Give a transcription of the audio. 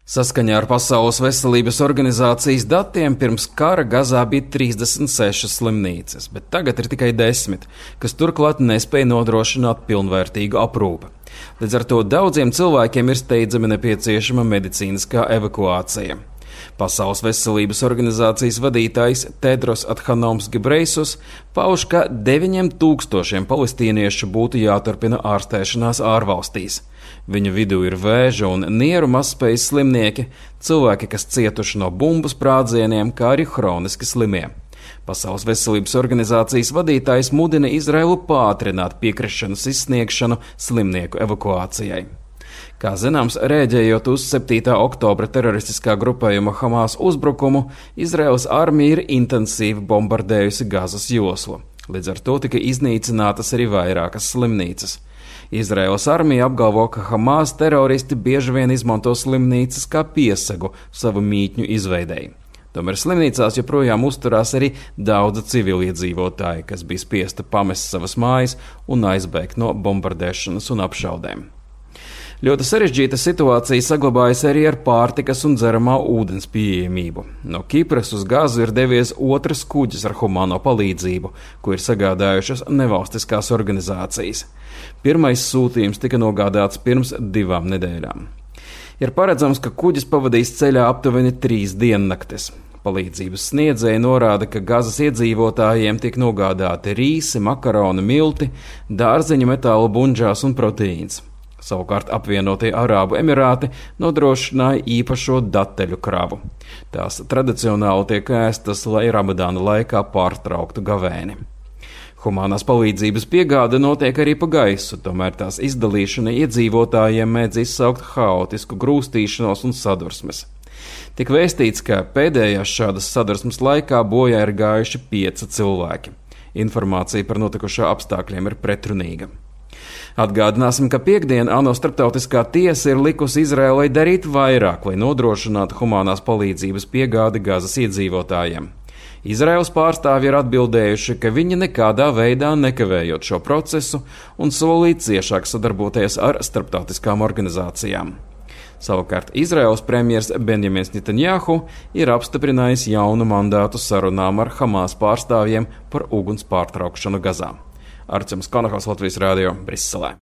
Saskaņā ar Pasaules veselības organizācijas datiem pirms kara Gazā bija 36 slimnīcas, bet tagad ir tikai 10, kas turklāt nespēja nodrošināt pilnvērtīgu aprūpi. Līdz ar to daudziem cilvēkiem ir steidzami nepieciešama medicīniskā evakuācija. Pasaules veselības organizācijas vadītājs Tedros Adhanoms Ghebreyesus pauž, ka 9000 palestīniešu būtu jāturpina ārstēšanās ārvalstīs. Viņu vidū ir vēža un nieru mazspējas slimnieki, cilvēki, kas cietuši no bumbu sprādzieniem, kā arī hroniski slimie. Pasaules veselības organizācijas vadītājs mudina Izraelu pātrināt piekrišanas izsniegšanu slimnieku evakuācijai. Kā zināms, rēģējot uz 7. oktobra teroristiskā grupējuma Hamas uzbrukumu, Izraēlas armija ir intensīvi bombardējusi Gazas joslu. Līdz ar to tika iznīcinātas arī vairākas slimnīcas. Izraēlas armija apgalvo, ka Hamas teroristi bieži vien izmanto slimnīcas kā piesegu savu mītņu izveidei. Tomēr slimnīcās joprojām uzturās arī daudzi civiliedzīvotāji, kas bija spiesti pamest savas mājas un aizbēgt no bombardēšanas un apšaudēm. Ļoti sarežģīta situācija saglabājas arī ar pārtikas un dzeramā ūdens pieejamību. No Kipras uz Gazu ir devies otrs kuģis ar humāno palīdzību, ko ir sagādājušas nevalstiskās organizācijas. Pirmais sūtījums tika nogādāts pirms 2 nedēļām. Ir paredzams, ka kuģis pavadīs ceļā aptuveni 3 diennaktis. Palīdzības sniedzēji norāda, ka Gazas iedzīvotājiem tiek nogādāti rīsi, makaroni, milti, dārzeņu, metālu bunžās un proteīns. Savukārt apvienotie Arābu Emirāti nodrošināja īpašo dateļu kravu. Tās tradicionāli tiek ēstas, lai Ramadāna laikā pārtrauktu gavēni. Humānās palīdzības piegāde notiek arī pa gaisu, tomēr tās izdalīšana iedzīvotājiem mēdz izsaukt haotisku grūstīšanos un sadursmes. Tik vēstīts, ka pēdējās šādas sadursmes laikā bojā ir gājuši 5 cilvēki. Informācija par notikušā apstākļiem ir pretrunīga. Atgādināsim, ka piektdien ANO starptautiskā tiesa ir likusi Izraēlai darīt vairāk, lai nodrošinātu humānās palīdzības piegādi Gazas iedzīvotājiem. Izraēlas pārstāvji ir atbildējuši, ka viņi nekādā veidā nekavējot šo procesu un solīt ciešāk sadarboties ar starptautiskām organizācijām. Savukārt Izraēlas premjers Benjamins Netanjahu ir apstiprinājis jaunu mandātu sarunām ar Hamas pārstāvjiem par uguns pārtraukšanu Gazā. Arčuns Konohaus, Latvijas Rādio, Briselē.